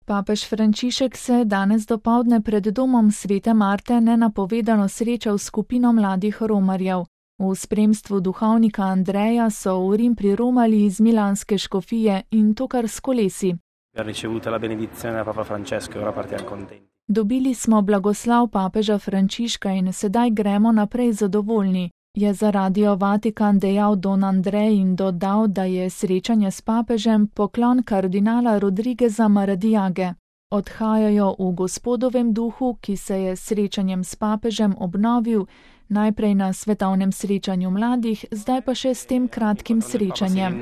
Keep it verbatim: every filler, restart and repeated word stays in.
Papež Frančišek se je danes dopoldne pred domom Svete Marte nenapovedano srečal s skupino mladih romarjev. V spremstvu duhovnika Andreja so v Rim priromali iz milanske škofije in to kar s kolesi. Dobili smo blagoslav papeža Frančiška in sedaj gremo naprej zadovoljni, je za Radio Vatikan dejal Don Andrej in dodal, da je srečanje s papežem poklon kardinala Rodrigueza Maradiage. Odhajajo v Gospodovem duhu, ki se je s srečanjem s papežem obnovil, najprej na svetovnem srečanju mladih, zdaj pa še s tem kratkim srečanjem.